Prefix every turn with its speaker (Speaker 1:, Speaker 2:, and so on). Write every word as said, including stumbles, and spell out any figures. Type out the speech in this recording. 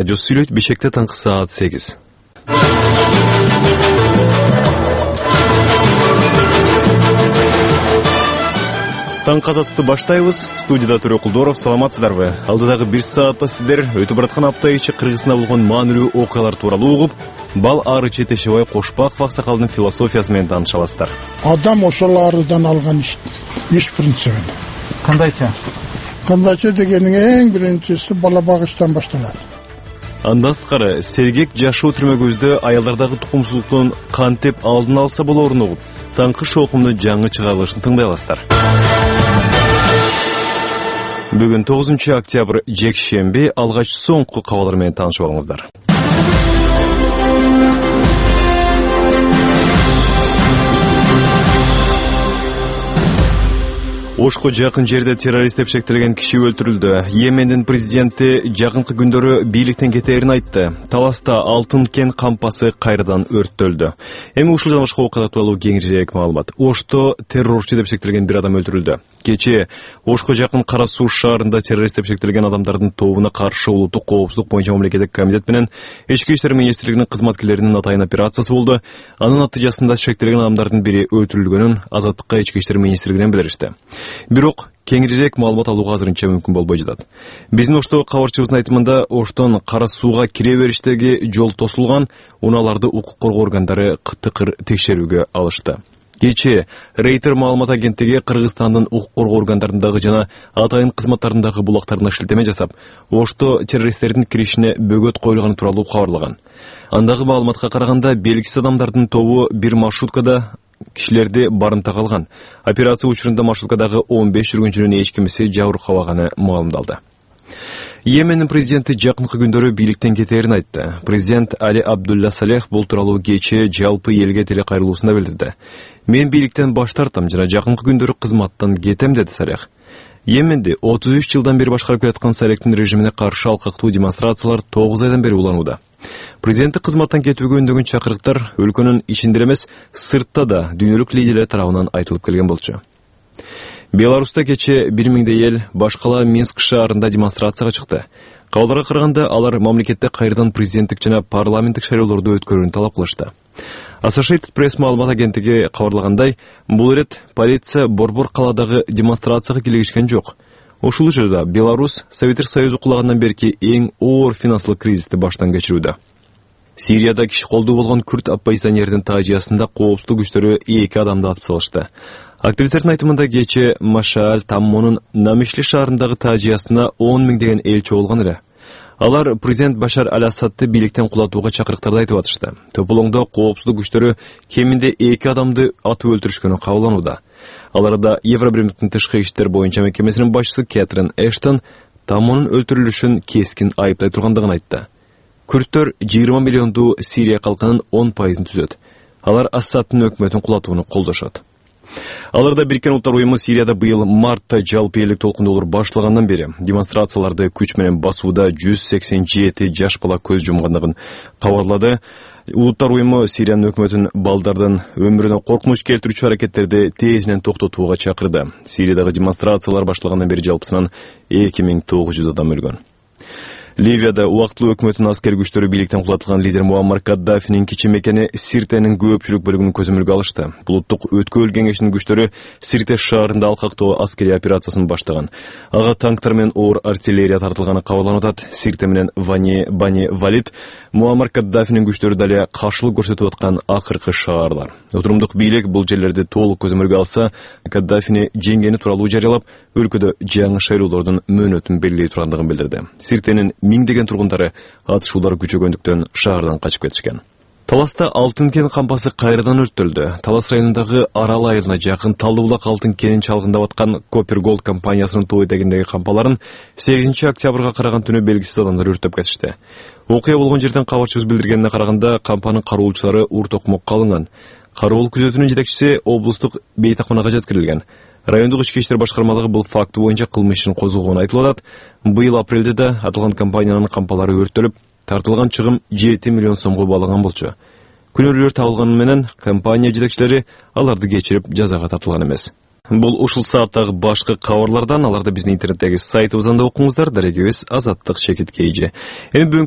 Speaker 1: радиосу сүйлөйт. Бишкекте таңкы саат сегиз. Таңкы азаттыкты баштайбыз. Студияда Төрө Кулдоров. Саламатсыздарбы? Алдыдагы бир саатта сиздер өтүп бараткан апта ичи Кыргызстанда болгон маанилүү окуялар тууралуу угуп, Бал Арычы Тешебай Кошпаков аксакалдын философиясы менен тааныша аласыздар.
Speaker 2: Адам ошол арыдан алган иш, иш принцибин.
Speaker 3: Кандайча?
Speaker 2: Кандайча дегенин эң биринчиси бала багыштан башталат.
Speaker 1: Андан сырткары сергек жашоо түрмөгүбүздө аялдардагы тукумсуздуктун кантип алдын алса болоорун угуп, таңкы шоокумду жаңы чыгарылышын тыңдай аласыздар. Бүгүн тогузунчу октябрь жекшемби, алгач соңку кабарлар менен таанышып алыңыздар. Ошко жакын жерде террорист деп шектелген киши өлтүрүлдү. Йемендин президенти жакынкы күндөрү бийликтен кетээрин айтты. Таласта Алтын кен кампасы кайрадан өрттөлдү. Эми ушул жана башка окуялар тууралуу кеңирээк маалымат. Ошто террорчу деп шектелген бир адам өлтүрүлдү. Кечээ Ошко жакын Кара Суу шаарында террорист деп шектелген адамдардын тобуна каршы улуттук коопсуздук боюнча мамлекеттик комитет менен Ички иштер министрлигинин кызматкерлеринин атайын операциясы болду. Анын натыйжасында шектелген адамдардын бири өлтүрүлгөнүн Азаттыкка Ички иштер министрлигинен билдиришти. Бирок кеңирээк маалымат алууга азырынча мүмкүн болбой жатат. Биздин Оштогу кабарчыбыздын айтымында, Оштон Кара Сууга кире бериштеги жол тосулган, унааларды укук коргоо органдары кытыкыр текшерүүгө алышты. Кечээ Рейтер маалымат агенттиги Кыргызстандын укук коргоо органдарындагы жана атайын кызматтарындагы булактарына шилтеме жасап, Ошто террористтердин киришине бөгөт коюлганы тууралуу кабарлаган. Андагы маалыматка караганда, белгисиз адамдардын тобу бир маршруткада кишилерди барымтага алган. Операция учурунда маршруткадагы он беш жүргүнчүнүн эч кимиси жабыркабаганы маалымдалды. Йемендин президенти жакынкы күндөрү бийликтен кетээрин айтты. Президент Али Абдулла Салех бул тууралуу кечээ жалпы элге телекайрылуусунда билдирди. Мен бийликтен баш тартам жана жакынкы күндөрү кызматтан кетем, деди Салех. Йеменди отуз үч жылдан бери башкарып келаткан Салехтин режимине каршы алкактуу демонстрациялар тогуз айдан бери уланууда. Президенттик кызматтан кетүүгө үндөгөн чакырыктар өлкөнүн ичинде эмес, сыртта да дүйнөлүк лидерлер тарабынан айтылып келген болчу. Беларуста кечээ бир миңдей эл башкала Минск шаарында демонстрацияга чыкты. Кабардарга караганда, алар мамлекетте кайрадан президенттик жана парламенттик шайлоолорду өткөрүүнү талап кылышты. Associated Press маалымат агенттиги кабарлагандай, бул ирет полиция Борбор калаадагы демонстрацияга кийлигишкен жок. Ушул учурда Беларусь Советтик Союзу кулагандан берки эң оор финансылык кризисти баштан кечирүүдө. Сирияда киши колдуу болгон күрд оппозиционердин таажиясында коопсуздук күчтөрү эки адамды атып салышты. Активисттердин айтымында, кечээ Машааль Таммонун Намишли шаарындагы таажиясына он миңдеген эл чогулган эле. Алар президент Башар Аль-Асадты бийликтен кулатууга чакырыктарды айтып атышты. Төпөлөңдө коопсуздук күчтөрү кеминде эки адамды атып өлтүрүшкөнү кабыланууда. Аларда Евробиримдиктин тышкы иштер боюнча мекемесинин башчысы Кэтрин Эштон Таммонун өлтүрүлүшүн кескин айыптай тургандыгын айтты. Күрттөр жыйырма миллиондуу Сирия калкынын он пайызын түзөт. Алар Асадтын өкмөтүн кулатууну колдошот. Аларда Бириккен Улуттар уюму Сирияда быйыл мартта жалпы элдик толкундуулар башталгандан бери демонстрацияларды күч менен басууда жүз сексен жети жаш бала көз жумгандыгын кабарлады. Улуттар уюму Сириянын өкмөтүн балдардын өмүрүнө коркунуч келтирүүчү аракеттерди тезинен токтотууга чакырды. Сириядагы демонстрациялар башталгандан бери жалпысынан эки миң тогуз жүз адам өлгөн. Ливияда убактылуу өкмөттүн аскер күчтөрү бийликтен кулатылган лидер Муаммар Каддафинин кичи мекени Сиртенин көпчүлүк бөлүгүн көзөмөлгө алышты. Булуттук өткөбөл кеңешинин күчтөрү Сирте шаарында алкактоо аскерий операциясын баштаган. Ага танктар менен оор артиллерия тартылганы кабарланат. Сирте менен Вани Бани Валид Муаммар Каддафинин күчтөрү дале каршылык көрсөтүп аткан акыркы шаарлар. Отурумдук бийлик бул жерлерди толук көзөмөлгө алса, Каддафини жеңгени тууралуу жарыялап, өлкөдө жаңы шайлоолордун мөөнөтүн белгилей тургандыгын билдирди. Сиртенин миңдеген тургундары атышуулар күчөгөндүктөн шаардан качып кетишкен. Таласта Алтын кен кампасы кайрадан өрттөлдү. Талас районундагы Арал айылына жакын Талдыбулак алтын кенин чалгындап аткан Copper Gold компаниясынын тоо этегиндеги кампаларын сегизинчи октябрга караган түнү белгисиз адамдар өрттөп кетишти. Окуя болгон жерден кабарчыбыз билдиргенине караганда, кампанын кароолчулары ур токмокко алынган. Кароол күзөтүүнүн жетекчиси облустук бейтакманага жеткирилген. Райондук ички иштер башкармалыгы бул факты боюнча кылмыш ишин козгогону айтылып атат. Быйыл апрелде да аталган компаниянын кампалары өрттөлүп, тартылган чыгым жети миллион сомго баалаган болчу. Күнөөлөр табылганы менен компания жетекчилери аларды кечирип жазага тартылган эмес. Бул ушул сааттагы башкы кабарлардан, аларды биздин интернеттеги сайтыбыздан да окуңуздар. Дарегибиз Азаттык чекит кейжи. Эми бүгүнкү